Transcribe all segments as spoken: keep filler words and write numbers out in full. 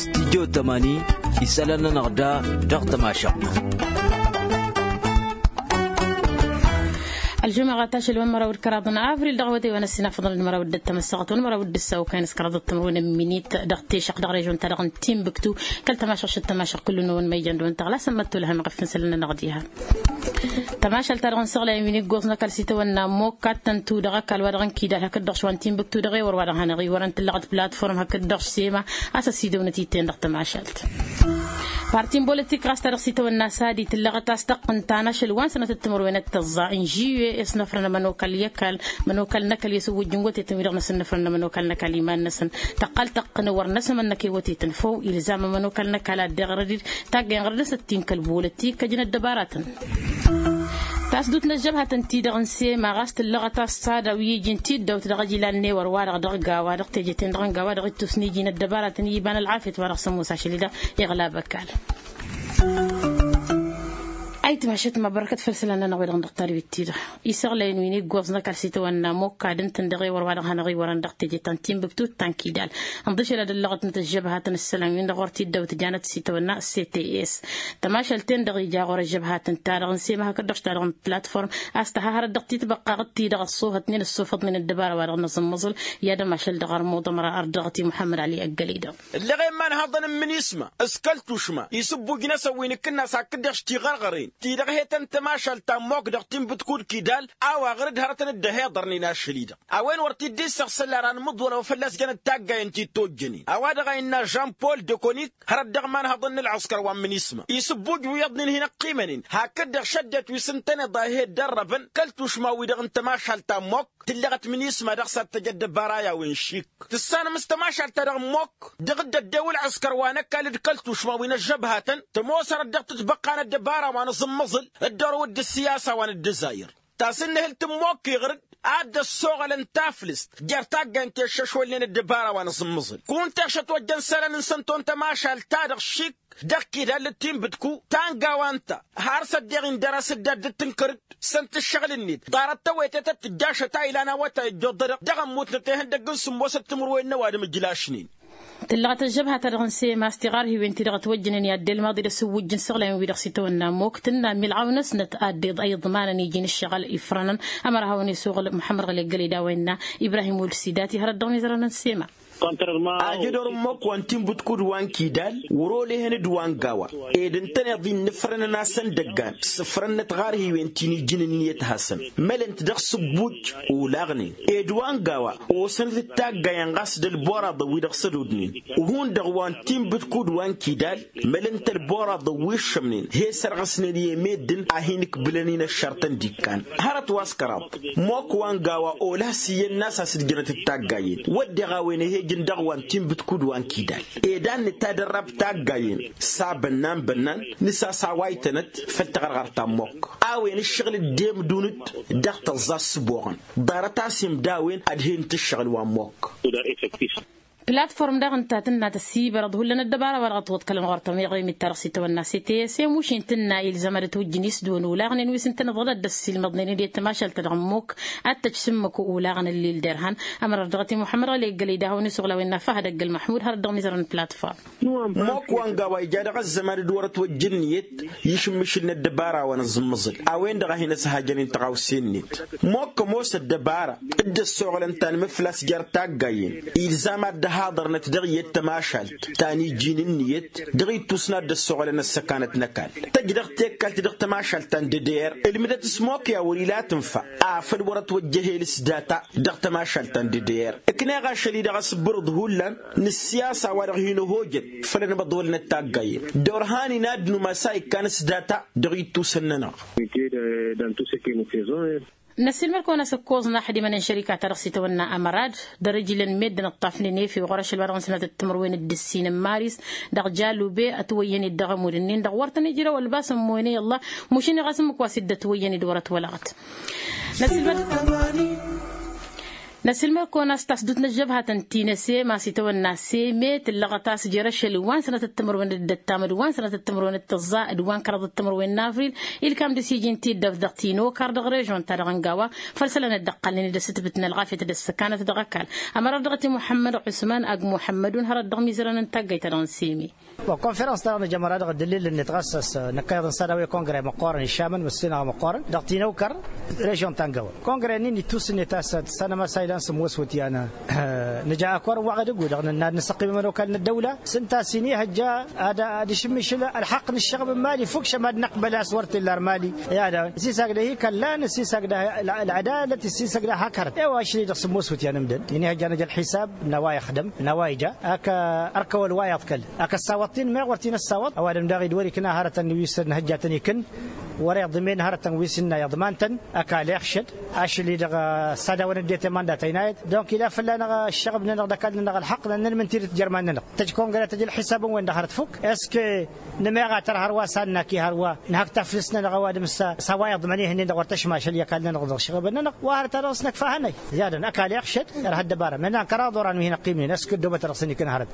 Studyo tămani isălan-nănăɣ da dăɣ-tămašăɣt. Ălžumăɣăt ašăl wa n-măraw d-kăraḍ n-avril dăɣ-awătay wa n-ăssinafăḍăn d-măraw d-ăttămăssăɣăt wa n-măraw d-ăssawkay n-s kăraḍăt timǝrwen n-minit dăɣ-teša dăɣ-režon-ta-dăɣ n-tinbǝktu. Kăl-tămašăɣ šăt tămašăɣ kull-năwăn ma ijăn dăɣ-wăn tăɣla sămmăt tolhăm iɣăf n-isălan-nănăɣ diha. Tămašalt-ta-dăɣ n-săɣlay n-wi n-iggoẓ n-ăkall s-itawănna ămmokk ad-tăn-tu dăɣ-ăkall wa dăɣ-n kidal hakd-dăɣ šwa n-tinbǝktu dăɣ-ewăr wa dăɣ-hanăɣ-iwărăn tǝllăɣăt platform hakd-dăɣ sema. A-s ăsidăwnăt-iten dăɣ-tămašalt. Parti n-bolătik ɣas ta dăɣ-s itawănna sadi tǝllăɣăt a-s tăqqǝn ta n-ašăl wa n-sănătăt timǝrwen d-tăẓẓa n-žuye s-năfrăn ămănokal i-ăkall. Ămănokal n-ăkall i-asǝwwǝjj n-wătetăn wi-dăɣ năsǝnnăfrăn ămănokal n-ăkall iman-năsăn. Tăqqal tăqqǝn wăr năsămănnăk i-wătetăn făw ilzam ămănokal n-ăkall ad-deɣ rădid. Taggayen ɣărăd-năsăt tinkăl bolătik kăjnăt dăbaratăn. Tasdut n-ăžžăbhatăn-ti-dăɣ n-sema ɣas tǝllăɣăt a-s sada wi iji n-tiddawt dăɣ-ăjilal n-ewăr-wa-dăɣ dăɣ-gawa dăɣ-teje-ten-dăɣ n-gawa dăɣ-ittus n-iji n-ăddăbaratăn i-iba n-ălɣafyăt wa dăɣ-sămoos ašăl-i-dăɣ. Iɣlab ăkall. Ayǝtmašăt ma bărkăt făll-isălan-nănăɣ wi-dăɣ n-dăɣ-tadwit-ti-dăɣ isăɣlăyăn wi n-iggoẓ n-ăkall s-itawănna ămmokk ad-ǝntăn dăɣ-ewăr wa dăɣ-hanăɣ-iwărăn dăɣ-teje ta n-tinbǝktu ta n-kidal. Ǝnḍǝšăl ad-ăllăɣătnăt ăžžăbhatăn ǝssălan-win-dăɣ ɣur-t-dd-awǝtjanăt s-itawănna cts. Tămašalt-ten-dăɣ ija ɣur-ăžžăbhatăn-ta-dăɣ n-sema hakd-dăɣ ta dăɣ-n platform a-s tăha hărăt dăɣ-titbăqqa ɣǝtti-dăɣ ăṣṣufătnen ǝssufăḍnen ăddăbara wa dăɣ-năẓǝmmăẓǝl. I-ad-ămašăl dăɣ-armuḍ ămăra ărdăɣăt i-muḥămmăd ali ăggălăy-dăɣ. Ǝlleɣ i-imanhăḍăn n-imǝnisma s-kăl-tušma isǝbbujnăsăn wi n-akǝnnas hakd-dăɣ s-tiɣărɣăren ti-dăɣ hetăn tămašalt ta n-mok dăɣ-tinbǝtkut kidal. A-wa ɣăr-dd hărătăn dd-ăhiḍărnen ašăl-i-dăɣ a-wen wăr t-dd-issăɣsăl ara n-imǝḍwălăw fălla-s jănăt taggayen ti tojjănen a-wa dăɣ-a innă žan-pol de konik hărăt dăɣ-imanhăḍăn n-ǝlɣǝskăr wa n-imǝnisma isǝbbuj wiyyăḍnen hin-ăqqimănen hakd-dăɣ šăddet wi s-ǝntăneḍ a he-dd-ărrăbăn kăl-tušma-wi-dăɣ n-tămašalt ta n-mok. Tǝlleɣăt imǝnisma dăɣ-s ad-tăj ăddăbara i-a-wen šik tǝssanăm s-tămašalt-ta-dăɣ n-mok dăɣ-dd-ăddew ǝlɣǝskăr wa n-ăkall d-kăl-tušma wi n-ăžžăbhatăn tămoos hărăt dăɣ-tǝtbăqqa n-ăddăbara wa n-aẓǝmmăẓǝl d-ărǝw d-ǝssiyasa wa n-ăddăzayăr. Tasǝnnǝhǝlt n-mok iɣrǝd ad-dd-ăssoɣălăn taflǝst jer-taggayen ti ăššăšwălnen ăddăbara wa n-aẓǝmmăẓǝl kunta ešăt wăjjăn isălan-năsăn ton tămašalt-ta-dăɣ šik dăɣ-kidal d-tinbǝtku ta n-gawa ǝnta har s-ăddeɣ-in dăr-asǝddad d-tǝnkăr-dd săn-t ǝššăɣǝl-net ḍarăt tawăytet ad-tǝjja ašăt a ilan awătay ăjjoḍădăɣ dăɣ-ămmutnăt ihăndăgg n-sǝmmosăt timǝrwen n-ăwadǝm ǝjlašnen. Tǝllăɣăt ăžžăbha-ta-dăɣ n-sema s-tiɣarhiwen-ti-dăɣ ătwăjjănen i-ad-dd-elmaḍ-dd ăsǝwwǝjj n-săɣlăyăn-wi-dăɣ s-itawănna ămmok tǝnna milɣaw-năsnăt ad-dd-iḍmănăn iji n-ǝššăɣǝl ifrănăn. Ămăra hawăn-isăɣǝl muḥămmăd ɣăli ăggălăy d-a-wa innă ibrahim wăl-sidati hărăt dăɣ-mizărăn n-sema. Ajădor n-măkk wa n-tinbǝtkud wa n-kidal wăr-olăhăn d-wa n-gawa ed ǝntăneḍ-i n-inǝfrănăn a-s ăndăggan s-ǝfrănnăt ɣarhiwen ti n-ijǝn ǝnniyăt hasăn mălăn-t dăɣ-sǝbbuj olaɣnen ed wa n-gawa osănăt d-taggayen ɣas d-ălboraḍăn wi-dăɣ s-ădodnen. Hundăɣ wa n-tinbǝtkud wa n-kidal mălăn-t ălboraḍăn wi ǝššămnen he-sărɣăsnen i-meddǝn a hin-ǝkbǝlăn-in ăššărtăn d-ikkan hărăt wa s-kăraḍ. Mok wa n-gawa olăh s-iyyăn n-a-s a-s ǝdjănăt d-taggayen wădden a-wen ăhejăn dăɣ-wa n-tinbǝtkud wa n-kidal ed a n-nǝtadărrab taggayen s-abănnan bănnan nǝsas a-wa ǝjtănăt făll-taɣărɣărt ta n-mok a-wen ǝššăɣǝl dd-emdun-dd dăɣ-tăẓẓa s-sǝboɣăn ḍarăt a-s imdawen ad-hen-t ǝššăɣǝl wa n-mok. Platform daɣ-ǝnta tǝnna tăssibărăḍ hullan ăddăbara wa dăɣ-ătwăḍkălăn ɣur-tămiɣemit-ta-dăɣ s-itawănna cts i-mušin tǝnna ilzam ad-ătwǝjjǝn isdǝwăn olaɣnen wi s-ǝntăneḍ ad-dd-ăssiilmăḍnen d-i tămašalt-ta-dăɣ n-mok ad-tăj s-ǝmmǝk olaɣăn ǝllil derhan. Ămăra dăɣ-t i-muḥămmăd ɣăli ăggălăy d-ahăwăn-isăɣlawen n-afahăd ăggăl măḥmud hărăt dăɣ-mizărăn platform. Mok wa n-gawa ija dăɣ-ăzzăman d-wăr-ătwăjjăn ǝnniyăt išǝmmǝšǝl n-ăddăbara wa n-aẓǝmmăẓǝl a-wen-dăɣ a hin-ăshajăn-in tăɣawse-net. Mok ămoos ăddăbara dd-ăssoɣlăn ta n-imǝflas jer-taggayen ilzam ad-dd-ăhaḍărnăt dăɣ-iyyăt tămašalt ta n-iji n-ǝnniyăt dăɣ-ittus n-ad-dd-ăssoɣlăn ăssăkanăt n-ăkall tăjj dăɣ-tekkalt dăɣ-tămašalt ta n-dd-dd-er. Ǝlmǝdăt s-mok i-a wăr-ila tǝnfa afăl wăr-ătwăjjăhel s-data dăɣ-tămašalt ta n-dd-dd-er. Ǝkneɣ ašăl-i-dăɣ asǝbbǝrǝḍ hullan n-ǝssiyasa wa dăɣ-hin-ăhojăn făll-anmăḍwălnăt taggayen d-orhan-in ad-numas a ikkan s-data dăɣ-ittusăn-nănăɣ. Năssiilmăd-kăwăn-asǝkkoẓ n-aḥdimăn n-šărika-ta-dăɣ s-itawănna ămărad dăr-ijlăn meddǝn ǝṭṭafnen efew ɣur-ašăl wa dăɣ-nǝsnăt d-timǝrwen d-ǝssin n-maris dăɣ-jalube ătwăyyăn-dd dăɣ-ămudd-ǝnnin-dăɣ wăr tăn-ijrăw ălbas ămmoyăn i-ăllah. Mušin i-ɣas ǝmmǝk wa s-dd-ătwăyyăn-dd wăr-ătwălăɣăt. Năssiilmăd. Năsilmăr-kăwăn a-s tasdut n-ăžžăbhătăn ti n-ăse ma s-itawănna seme tǝllăɣăt a-s jer-ašăl wa n-sănatăt timǝrwen d-ăttam d-wa n-sănatăt timǝrwen d-tăẓẓa d-wa n-kăraḍăt timǝrwen n-avril ilkam dăr-s iji n-tiddăbt dăɣ-tinokar dăɣ-režon-ta-dăɣ n-gawa. Făll-isălan dd-ăqqalnen d-asǝtbǝt n-ălɣafyăt d-ăssăkanăt dăɣ-ăkall. Ămărat dăɣ-t i-muḥămmăd ɣusman ag muḥămmădun hărăt dăɣ-imizărăn n-taggayt-ta-dăɣ n-seme. Wa konferăns-ta-dăɣ nǝjămăr-a-dăɣ dd-ǝllǝlnet ɣas a-s năkkăneḍ n-sad a-wa i-kongre măqqoorăn išamăn măssinăɣ măqqoorăn dăɣ-tinăwkăr režon ta n-gawăn kongre-nin ittusǝnnet a-s tăssanăm a-s a ilan sǝmmos wǝtyan. Nǝja ăkorăn wa ɣǝd-ǝggu-dăɣ nǝnna ad-nǝsăqqim ămănokal n-ăddăwla s-ǝnta a-s inihăjja ad-dd-išǝmmǝšǝl ălxăqq n-ǝššăɣb n-mali fukš ămadnăqbăl a-s wăr t-illa ar mali. I-ad-ăsisagdăh ikăllan ăsisagdăh ălɣădalăt ăsisagdăh hak hărăt i-wa ašli-dăɣ sǝmmos wǝtyan ǝmdăn inihăjja nǝja ălxisab n-a-wa ixdăm n-a-wa ija ak ărkăwăl wa iḍkăl ak ăssawăḍ-t-in meɣ wăr t-in-ăssawăḍ ăwadǝm daɣ-i d-wăr-ikna hărătăn wi s-nǝhǝjjatăn ikǝn. Wăr-iḍmen hărătăn wi s-ǝnna iḍman-tăn ăkall iɣšăd ašli-dăɣ s-ad-awăn ăddinăt i-mandat ăynayăt. Donc ila fălla-năɣ ăššăɣb-nănăɣ d-ăkall-nănăɣ ălxăqq nănnălmǝn tidǝt jer-iman-nănăɣ tăj kongre tăj ălxisab n-wen-dăɣ hărăt fuk est-ce que nǝmeɣ a tăr hărwa s-annaki hărwa nǝhăk taflǝst-nănăɣ ăwadǝm s-a-wa iḍmăn ihǝnnin-dăɣ wăr tăšmašăl i-ăkall-nănăɣ dăɣ-ăššăɣb-nănăɣ wa hărăt a dăɣ-s năkfa hănăy. Ziadăn ăkall iɣšăd ărha ăddăbara mănan kăraḍ oran wi hin-ăqqimnen est-ce que ăddoobăt a dăɣ-săn ikǝn hărăt.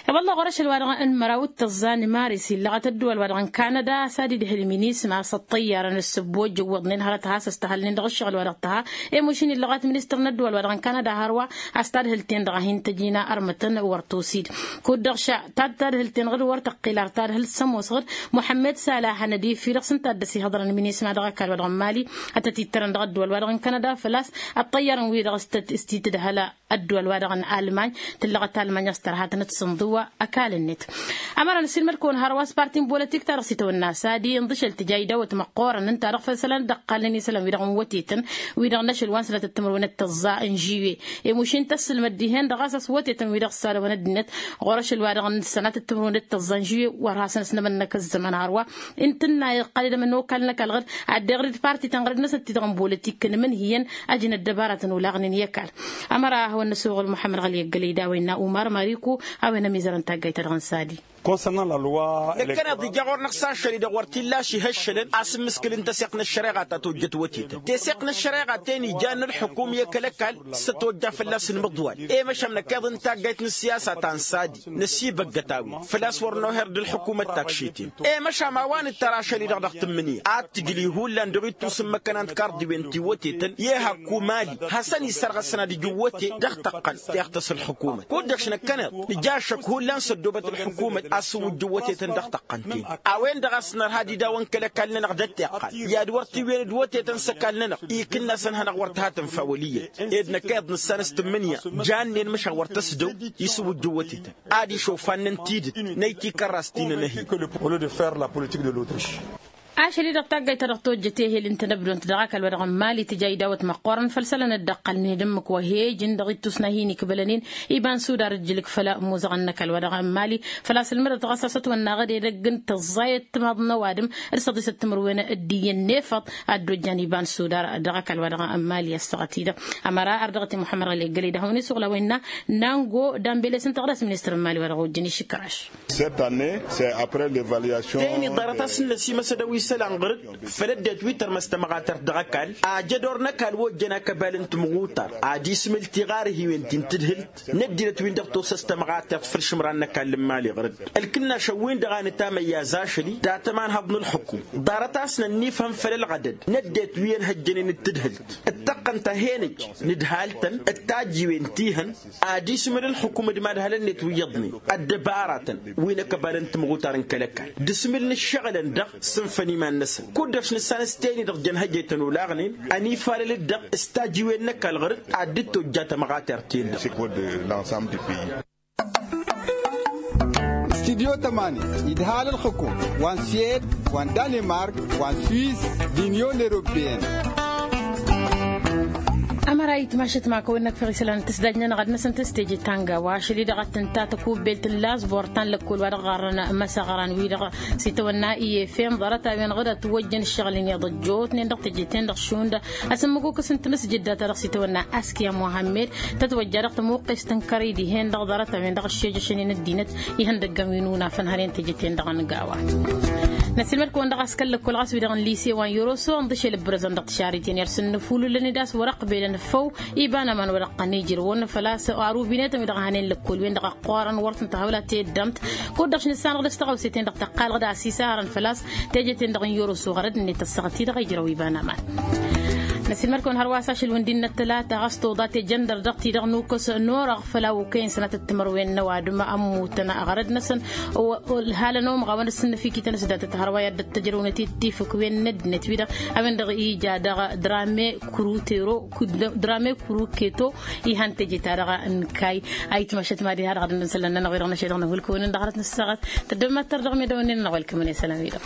I-wălla ɣur-ašăl-wa-dăɣ n-măraw d-tăẓẓa n-maris illăɣăt ăddăwăl-wa-dăɣ n-kanăda a-s ad-idhǝl minis ma s-ăṭṭăyyarăn s-săbbojjăwwăḍnen hărăt has-ăstăhălnen dăɣ-ǝššăɣǝl-wa-dăɣ tăha. I-mušin illăɣăt ministăr n-ăddăwăl-wa-dăɣ n-kanăda hărwa a-s tadhǝlt-en-dăɣ a hin-tăjina ărmătăn wăr tusid. Kud-dăɣ ša tad-tadhǝlt-en-dăɣ d-wăr tăqqil ar tadhǝlt s-ămoosăɣ-dd muḥămmed sala hanădif-i-dăɣ s-ǝnta a dd-ăsihăḍrăn minis ma dăɣ-ăkall-wa-dăɣ n-mali ad-tăt-ittărăn dăɣ-ăddăwăl-wa-dăɣ n-kanăda făl-a-s ăṭṭăyyărăn wi-dăɣ s-tăt-istitǝdhăl ăddăwăl-wa-dăɣ n-almany. Tǝllăɣăt almany a-s tărha tănăt-sǝnḍǝw ăkall-net. Ămăra nǝsǝlmăd-kăwăn hărwa s-parti n-bolătik ta dăɣ-s itawănna sadi ǝnḍǝšăl tǝja idawăt măqqoorăn ǝnta-dăɣ făll-isălan dd-ăqqalnen isălan wi-dăɣ n-wătetăn wi-dăɣ n-ašăl wa n-sănatăt timǝrwen d-tăẓẓa n-žuye. I-mušin tăssǝlmăd dihen-dăɣ a-s ăswătetăn wi-dăɣ s-ad-ăwăn ăddinăt ɣur-ašăl wa-dăɣ n-sănatăt timǝrwen d-tăẓẓa n-žuye wăr hasăn-s n-emănnăk ăzzăman hărwa. Ǝntǝnna iqqăl d-emănokal n-ăkall ɣǝd ad-dd-iɣrǝd parti-tăn ɣǝrǝd-năsăn ti-dăɣ n-bolătik n-imǝnhǝyăn. Ajăn ăddăbaratăn olaɣnen i-ăkall. Ămăra a hawăn-năsoɣăl muḥămmăd ɣăli ăggălăy d-a-wa innă umar măriku a-wen ămizărăn taggayt-ta-dăɣ n-sadi. Concernant la loi năkkăneḍ ija ɣur-năɣ s-ašăl-i-dăɣ wăr t-illa šihăššălăn a-s ǝmmǝskǝl n-taseɣt n-ăššăreɣa ta tojjăt wătetăn teseɣt n-ăššăreɣa ten ijan n-ălxukum i-kăl-ăkall s-ătojja fălla-s ǝnmǝḍwal. I-măšan năkkeḍ n-taggayt n-ǝssiyasa ta n-sadi năsibăggăt a-wen făl-a-s wăr noher d-ălxukum ăttag šeten. I-măšan ma wa nǝttăr ašăl-i-dăɣ dăɣ-tǝmmǝnǝya ad-tǝjlǝy hullan dăɣ-ittus n-imăkkăna n-tikarḍiwen ti wătetăn i-hak kumali hasăn-isărɣăsăn ad-ǝjǝw wăte dăɣ-tăqqăn teɣtăs ălxukumăt kud-dăɣ-š năkkăneḍ nǝja ašăk hullan s-ăddoobăt ălxukumăt a-s ǝwwǝjjǝw wătetăn dăɣ-tăqqăn-ten. A-wen-dăɣ a-s nărha d-idawăn kăl-ăkall-nănăɣ d-ăttiqqal i-ad-wăr tǝwwen d-wătetăn s-ăkall-nănăɣ ikǝnn'-asăn hanăɣ-wăr tǝhatăn fawăl iyyăt. Ed năkk iyyăḍ nǝssan s-tǝmmǝnǝya jannen măšan wăr tăsdăw isǝwwǝjjǝw wătetăn ad-išofannăn tidǝt. Năy tikărrast ti n-enăhi. Ašăl-i-dăɣ taggayt-ta-dăɣ tojjăt ehel ǝnta n-ăbdont dăɣ-ăkall-wa-dăɣ n-mali tǝja idawăt măqqoorăn făll-isălan dd-ăqqălnen d-ǝmmǝk wa he-ijǝn dăɣ-ittus n-ad-hin-ikbălănen. Iba n-sudar ǝjjǝlǝk făll-amuzăɣăn n-ăkall-wa-dăɣ n-mali. Făl-a-s ǝlmǝdăt ɣas a-s ătwănnaɣ d-edăgg n-tăẓẓayăt timaḍ n-ăwadǝm d-săḍisăt timǝrwen d-iyyăn n-efăḍ. Ad-dd-ojjan iba n-sudar dăɣ-ăkall-wa-dăɣ n-mali ăssaɣăt-i-dăɣ. Ămăra ardăɣăt i-muḥămmăd ɣăli ăggălăy d-ahăwăn-isuɣǝl a-wa innă nango d-ambele s-ǝnta ɣur-s ministăr n-mali wa dăɣ-ojjăn išǝkraš. Cette année c'est après l'évaluation. Teni ḍarăt a-s n-năsimăsădăw isălan ɣur-dd făll-ăddinăt wi tărmăs tămɣatert dăɣ-ăkall. Ajădor n-ăkall wa ojjăn akăbal n-timɣutar ad-ismǝl tiɣarhiwen ti n-tǝdhǝlt n-ăddinăt-win-dăɣ tosăs tămɣatert făll-išǝmran n-ăkall n-imali ɣur-dd. Ălkǝnnašăn-win-dăɣ a nǝtamăyya azašăl-i dat-ămanhăḍ n-ǝlxǝkum ḍarăt a-s nănnifhăm făll-ălɣădăd n-ăddinăt wi ănhăjjănen d-tǝdhǝlt. Ǝttăqqăn-t a hen-ǝj nǝdhal-tăn d-tajjiwen ti hăn ad-ismǝl ǝlxǝkum d-imadhălăn-net wi iyyăḍnen ăddăbaratăn wi n-akăbal n-timɣutar n-kăl-ăkall d-asmǝl n-ǝššăɣǝlăn-dăɣ. Sǝnfăn iman-năsăn kud-dăɣ s-nǝssan s-teni-dăɣ jăn hăjăytăn olaɣnen ănifalăl-dd-dăɣ s-tajjiwen n-ăkall ɣur-dd ad-dd-tojja tămɣatert-ten-dăɣ. Studyo tămani idhal ǝlxǝkum wa n-suwed wa n-danimark wa n-suwis d-inyon eropeyăn. Ămăra itmašăt ma kăwăn-năkfăɣ isălan n-tǝsdaj-nănăɣ ad-năsăn tăstejăt ta n-gawa ašăl-i-dăɣ ad-tǝnta tăkubbelt n-lasbor ta n-lăkkol wa dăɣ-ɣarrăn măsăɣran-wi-dăɣ s-itawănna i-efem ḍarăt-a-wen ɣǝd ătwăjjăn ǝššăɣǝl-in iyyăḍ ăjjootnen dăɣ-teje-ten-dăɣ šund. Asǝmmǝguk s-ǝntǝmǝsjǝdda ta dăɣ-s itawănna askiya muhammed tătwăjja dăɣ-tămuqqest n-kărăy dihen-dăɣ ḍarăt-a-wen-dăɣ ăššejăšăn-in ăddinăt ihăndăggan wi n-unafăn hărăn teje-ten-dăɣ n-gawa. Năsilmăd-kăwăn dăɣ-a-s kăl-lăkkol ɣas wi-dăɣ n-lise wa n-yoroso ănḍǝšel ǝbrăzăn dăɣ-tišariten i-ad-săn nǝfululăn-dd a-s wăr-ăqbelăn făw iba n-aman wa dăɣ-tăn-ijrǝwăn făl-a-s. Arubinet wi-dăɣ hanen lăkkol-wen-dăɣ ăqqoorăn wăr tăn-tăhăwla teddămt. Kud-dăɣ š-nǝssanăɣ dăɣ-s tăɣawse-ten-dăɣ tăqqalăɣ d-asisarăn făl-a-s teje-ten-dăɣ n-yoroso ɣărăd-net ăssaɣăt-i-dăɣ ijrăw iba n-aman. Năsilmăd-kăwăn hărwa s-ašăl wi n-dd-innă tălata ɣas toḍa tejăndăr dăɣ-ti-dăɣ nukăs n-orăɣ făll-a okăyăn sănatăt timărwen n-ăwadǝm ămmutăn ɣărăd-năsăn. Ăhalăn omăɣ a-wen ăssǝnnăfikităn s-datăt hărwa i-ad-dd-tăjrăwnăt i-tifǝkwen n-ăddinăt-wi-dăɣ a-wen-dăɣ ija daɣ drame kurutero drame kuruketo. Ihan teje-ta-dăɣ n-kayy a itmăšăt mad-iha dăɣ-ad-dd-nǝnsălăn-nănăɣ-wi-dăɣ n-ašăl-dăɣ n-hulkăwăn-in dăɣ-hărăt n-ăssaɣăt. Tăddămmat-tăr dăɣ-medăwăn-in-nănăɣ welkămăn i-isălan-wi-dăɣ.